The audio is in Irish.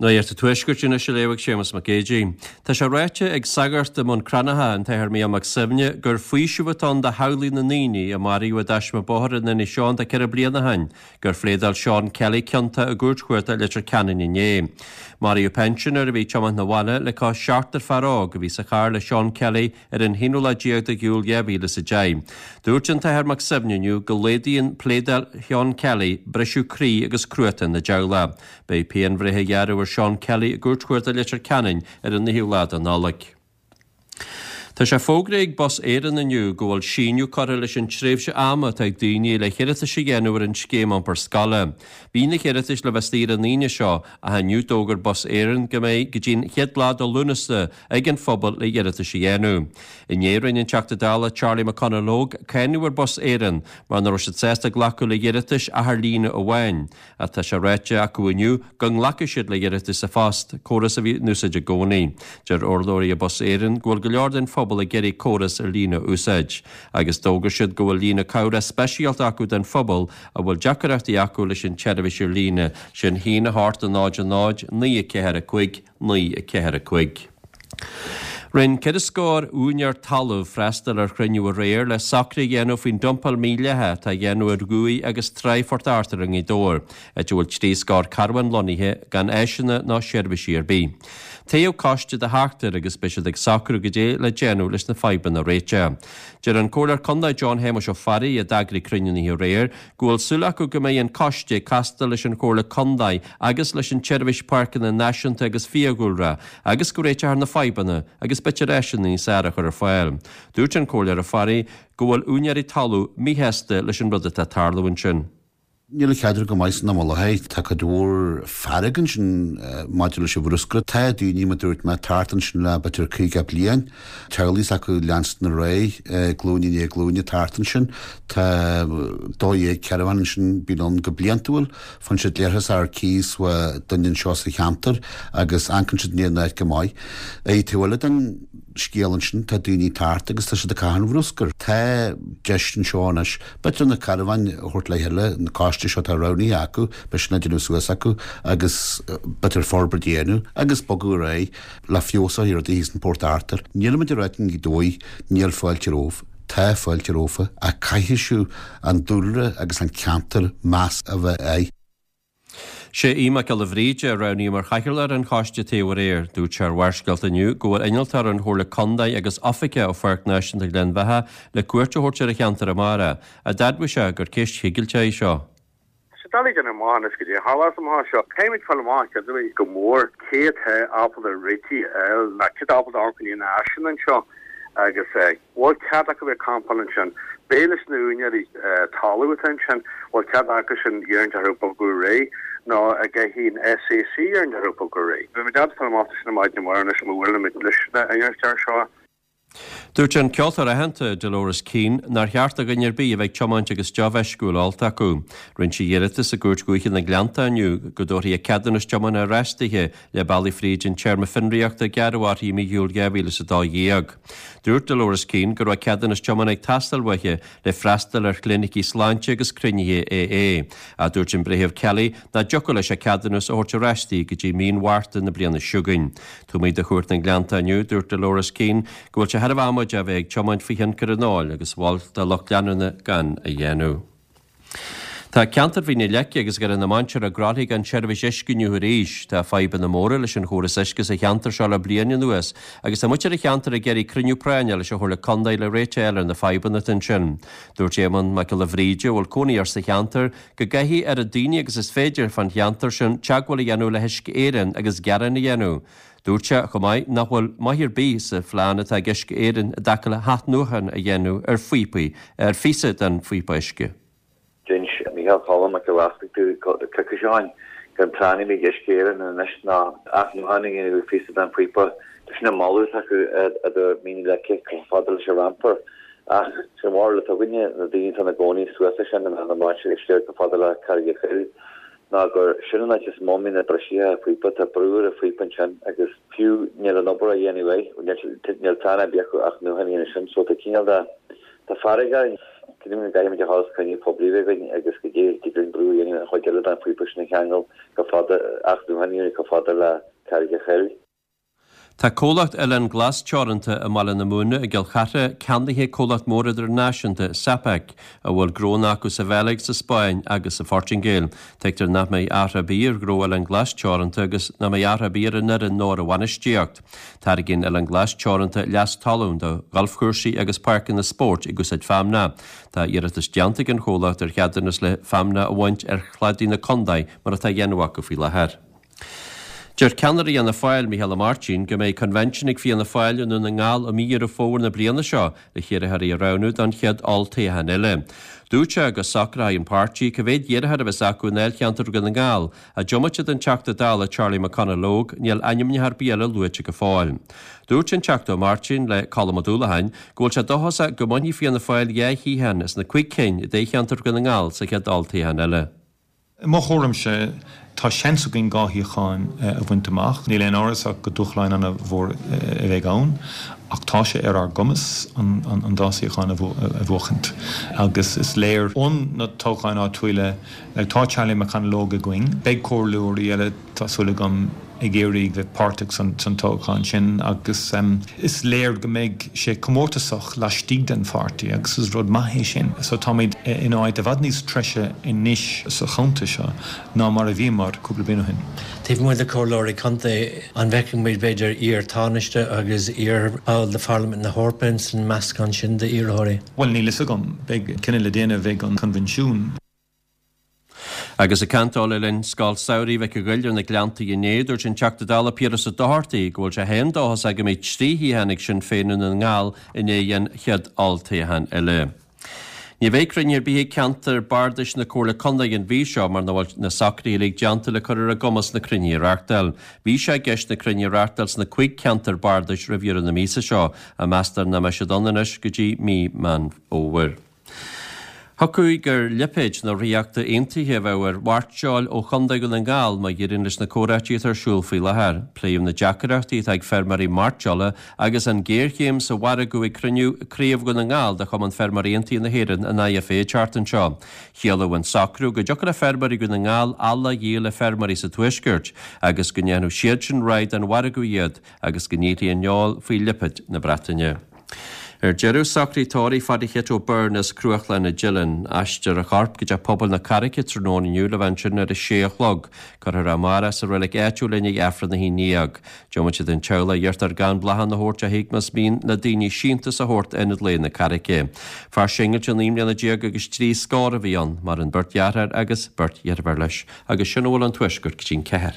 Nuacht an Tuaiscirt anois á léamh ag Séamus Mac Géidigh. Tá sé ráite ag sagart i mBun Cranncha, an tAthair Mícheál Mac Suibhne, gur faoiseamh atá ann do theaghlaigh na ndaoine a maraíodh i dtaisme bóthair in Inis Eoghain tá 4 bliana ó shin, gur phléadáil Seán Kelly ciontach i gCúirt Chuarda Leitir Ceanainn inné. Maraíodh pensioner a bhí ag tiomáint 'na bhaile le cois seachtar fear óg a bhí sa charr le Seán Kelly ar an haonú lá déag de Iúil 2010. Dúirt an tAthair Mac Suibhne inniu go laghdaíonn pléadáil Sheán Kelly briseadh croí agus cruatan na dteaghlach. Beidh pianbhreith á ghearradh ar Seán Kelly i gCúirt Chuarda Leitir Ceanainn ar an 9ú lá de Nollaig. Tá sé fógraithe ag Bus Éireann inniu go bhfuil síneadh curtha leis an tréimhse ama atá ag daoine le hiarratais a dhéanamh ar an scéim iompar scoile. Bhí na hiarratais le bheith saor an Aoine seo ach inniu d'fhógair Bus Éireann go mbeidh go dtí an chéad lá de Lúnasa ag an phobal le hiarratais a dhéanamh. Inné rinne an Teachta Dála Charlie McConalogue cáineadh ar Bus Éireann mar nach raibh siad sásta glacadh le hiarratais ach ar líne amháin. Ach tá sé ráite acu inniu go nglacfaidh siad le hiarratais sa phost, córas a bhí in úsáid i gcónaí. Deir urlabhraí Bus Éireann go bhfuil go leor den phobal ag iarraidh córas ar líne a úsáid. Agus d'fhógair siad go bhfuil líne cabhrach speisialta acu don phobal a bhfuil deacaireachtaí acu leis an tseirbhís ar líne, sin 1 8 0 0 9 4 5 9 4 5. Rinne ceithre scór úinéir talaimh freastal ar chruinniú aréir le socruithe a dhéanamh faoin dumpáil mhídhleathach atá á dhéanamh ar dhumhaigh agus tráigh Phort Arthur i nGaoth Dobhair, áit a bhfuil 30 scór carbhán lonnaithe gan áiseanna ná seirbhísí ar bith. Toghadh coiste de sheachtar agus beidh siad ag socrú goidé le déanamh leis na fadhbanna a réiteach. Deir an Comhairleoir Contae John Shéamuis Ó Fearraigh, a d'eagraigh cruinniú na hoíche aréir, go bhfuil súil acu go mbeidh an coiste ag castáil leis an Chomhairle Contae agus leis an tSeirbhís Páirceanna Náisiúnta agus Fiadhúlra agus go réiteofar na fadhbanna agus b'fhéidir áiseanna níos fearr a chur ar fáil. Dúirt an Comhairleoir Ó Fearraigh go bhfuil úinéirí talún míshásta leis an rud atá ag tarlú ansin. Níl an cheadra go maith san am i láthair. Tá cuid mhór fearg ansin maidir leis an bhruscar. Tá daoine, mar dúirt mé, thart ansin le b'fhéidir 50 bliain. Teaghlaigh s'acu leanstan ar aghaidh, glúin i ndiaidh glúine thart ansin. Tá 12 caravan ansin, bíonn ann go bliantúil. Faigheann siad learthas ar cíos ó duine anseo sa cheantar agus amharcann siad i ndiaidh an áit go maith. Ar an taobh eile den scéal ansin, tá daoine thart agus tá siad ag caitheamh an bhruscair. Tá deis anseo anois B'fhéidir na carbháin a thabhairt le chéile, an coiste seo atá roghnaithe acu, beidh sin á déanamh suas acu agus b'fhéidir forbairt a dhéanamh agus bogadh ar aghaidh le feabhas a chur ar rudaí thíos in Port Arthur. Nílimid ag ráit i nGaoth Dobhair níl fáilte romhaibh, tá fáilte romhaibh ach caithfidh sibh an dúlra agus an ceantar meas a bheith air. Sé Aodh Mac Giolla Bhríde a roghnaíodh mar chathaoirleach ar an choiste a toghadh aréir. Dúirt sé ar Bharrscéalta inniu go bhfuil innealtóir ón Chomhairle Contae agus oifigeach ó Pháirc Náisiúnta Ghleann Bheatha le cuairt a thabhairt ar an cheantar amárach, ach d'admhaigh sé gur ceist chigilteach í seo. Tá sé doiligh déanamh amach anois goidé a tharlós amach anseo. Caithfimid fáil amach céard a bhí go mór, cé atá ábalta réitigh a fháil, nó cé atá ábalta amharc i ndiaidh na áiseanna anseo agus bhfuil cead acu bheith ag campáil ansin. Beidh leis na úinéirí talaimh atá ansin, bhfuil cead acu sin iarraidh orthu bogadh ar aghaidh nó an gcaithfidh an SAC iarraidh orthu bogadh ar aghaidh. Beimid ábalta fáil amach sin ar maidin amárach anois má bhuailimid leis na innealtóir seo. Dúirt an ceoltóir aitheanta Dolores Keane nár cheart do dhuine ar bith a bheith ag tiomáint agus deoch mheisciúil ólta acu. Rinne sí iarratas i gCúirt Dhúiche na nGleannta inniu go dtabharfaí a ceadúnas tiomána ar ais dithe le bealaí fríd an téarma fionraíochta a gearradh uirthi i mí Iúil 2012. Dúirt Dolores Keane go raibh a ceadúnas tiomána ag teastáil uaithi le freastal ar chlinicí sláinte agus cruinnithe AA. Ach dúirt an Breitheamh Kelly nach dtiocfadh leis a ceadúnas a thabhairt ar ais di go dtí mí an Mhárta na bliana seo chugainn. Taobh amuigh de Chúirt na nGleannta inniu, dúirt Dolores Keane go bhfuil sé thar am amaideach a bheith ag tiomáint faoi thionchar an óil agus mhol dá lucht leanúna gan a dhéanamh. Tá ceantar Mhín na Leice agus Dhoire na Mainséar i gCroithlí gan seirbhís uisce inniu arís. Tá fadhbanna móra leis an chóras uisce sa cheantar seo le bliain anuas agus tá muintir an cheantair ag iarraidh cruinniú práinne leis an Chomhairle Contae le réiteach a fháil ar na fadhbanna atá ansin. Dúirt Éamonn Mac Giolla Bhríde, a bhfuil cónaí air sa cheantar, go gcaithfidh oiread daoine agus is féidir fán cheantar sin teagmháil a dhéanamh le hUisce Éireann agus gearán a dhéanamh. Dúirt sé chomh maith nach bhfuil maith ar bith sa phlean atá ag Uisce Éireann i dtaca le hathnuachan a dhéanamh ar phíopaí, ar phíosa den phíopa uisce. D'inis Micheál Cholm Mac Giolla Easpaig domh coicís ó shin gur an plean a bhí ag Uisce Éireann anois ná athnuachan a dhéanamh ar phíosa den phíopa. Sin an moladh atá acu i Mín na Leice chomh fada leis an rampar. Ach sin an bharúil atá againne, na daoine atá ina gcónaí suas leis sin, i mBeann na Mainséar siar chomh fada le Carraig an Choill, ná gur sin an áit is mó a mbíonn na briseacha phíopa. Tá brú ar an phíopa ansin agus fiú níl an obair á dhéanamh air, níl plean ar bith acu athnuachan a dhéanamh sin. So tá cineál de, tá fearg orainn. Cinnim go gcaithfimid a dhul is cruinniú poiblí a bheith againn agus go dté dtig linn brú a dhéanamh an chuid eile den phíopa sin a cheangal chomh fada, athnuachan a dhéanamh chomh fada le Carraig a' Choill. Tá comhlacht Oileán Glas Teoranta i mBaile na Móna i gCill Chartha ceannaithe ag comhlacht mór idirnáisiúnta, Sapec, a bhfuil gnónna acu sa Bheilg, sa Spáinn agus sa Phortaingéil. Tuigtear nach mbeidh athrú ar bith ar ghnó Oileán Glas Teoranta agus nach mbeidh athrú ar bith ar an fhoireann nó ar a bhainistíocht. Tairgíonn Oileán Glas Teoranta leas talún do ghalfchúrsaí agus páirceanna spóirt ag úsáid feamnach. Tá iarratas déanta ag an chomhlacht ar cheadúnas le feamnach a bhaint ar chladaí na condae mar atá á dhéanamh acu faoi láthair. Deir ceannaire Fhianna Fáil, Micheál Ó Máirtín, go mbeidh convention ag Fianna Fáil i Ndún na nGall i mí Dheireadh Fómhair na bliana seo le hiarrthóirí a roghnú don chéad olltoghchán eile. Dúirt sé go socróidh an páirtí cá mhéad iarrthóir a bheas acu i ndáilcheantar Dhún na nGall, ach diomaite den Teachta Dála Charlie McConalogue, níl ainmneacha ar bith eile luaite go fóill. Dúirt an Teachta Ó Máirtín le Colm Ó Dúlacháin go bhfuil sé dóchasach go mbainfidh Fianna Fáil dhá shuíochán as na cuig cinn i dtoghcheantar Dhún na nGall sa chéad olltoghchán eile. I mo thuairimse, tá seans againn 2 shuíochán a bhaint amach. Níl aon amhras ach go dúshláin an-mhór a bheidh ann, ach tá sé ar ár gcumas an dá suíochán a bhuachaint. Agus is léir ó na toghcháin áitiúila, tá Charlie McConalogue againn, beidh comhairleoirí eile, tá súil agam, ag iarraidh bheith páirteach san toghchán sin agus is léir go mbeidh sé comórtasach laistigh den pháirtí agus is rud maith é sin. So táimid in áit i bhfad níos treise anois sa chontae seo ná mar a bhíomar cúpla bliain ó shin. Taobh amuigh de chomhairleoirí contae, an bhfeicfidh muid b'fhéidir iar-Tánaiste agus iar-bhall de Pharlaimint na hEorpa ins an meascán sin d'iarrthóirí? Bhuel, níl fhios agam. Beidh cinneadh le déanamh ag an Coinbhinsiún. Agus ag caint dó le linn Scoil Samhraidh Mhic a' Ghoill ar na Gleanntaí inné, dúirt an Teachta Dála Piaras Ó Dochartaigh go bhfuil sé féin dóchasach go mbeidh 3 shuíochán ag Sinn Féin i nDún na nGall i ndiaidh an chéad olltoghcháin eile. Ní bheidh cruinniú ar bith ag ceantar bardais na Comhairle Contae an mhí seo mar nach bhfuil na socruithe uilig déanta le cur ar a gcumas na cruinnithe a reáchtáil. Bhí sé i gceist na cruinnithe a reáchtáil sna cuig ceantar bardais roimh dheireadh na míosa seo, ach meastar nach mbeidh siad ann anois go dtí mí Meán Fómhair. Thiocfadh gur lipéid na Ríochta Aontaithe a bheadh ar mhairteoil ó Chontae Dhún na nGall má éiríonn leis na comhráití atá ar siúl faoi láthair. Pléadh na deacaireachtaí atá ag feirmeoirí mairteola agus an ghéarchéim sa mhargadh ag cruinniú Craobh Dhún na nGall de Chumann Feirmeoirí Aontaithe na hÉireann, an IFA, an tseachtain seo. Chiallódh an socrú go dtiocfadh le feirmeoirí Dhún na nGall eallach a dhíol le feirmeoirí sa Tuaisceart agus go ndéanfadh siadsan rogha den mhargadh iad agus go ndíolfaí an fheoil faoi lipéad na Breataine. Ar deireadh, socraithe tórraimh Phaidí Chit O'Byrne as Cruachlainn na Dillon. Aistreofar a chorp go dtí Teach Pobail na Carraice tráthnóna inniu le bheith ansin ar a sé a chlog. Cuirfear é amárach sa reilig áitiúil i ndiaidh Aifreann 11. Diomaite den teaghlach iarrtar gan bláthanna a thabhairt ach más mian le daoine síntiús a thabhairt d'Ionad Lae na Carraice. Fear singilte 19 mbliana agus trí scór a bhí ann. Maireann beirt dheartháir agus beirt dheirféar leis. Agus sin a bhfuil ón Tuaisceart go dtí'n ceathair.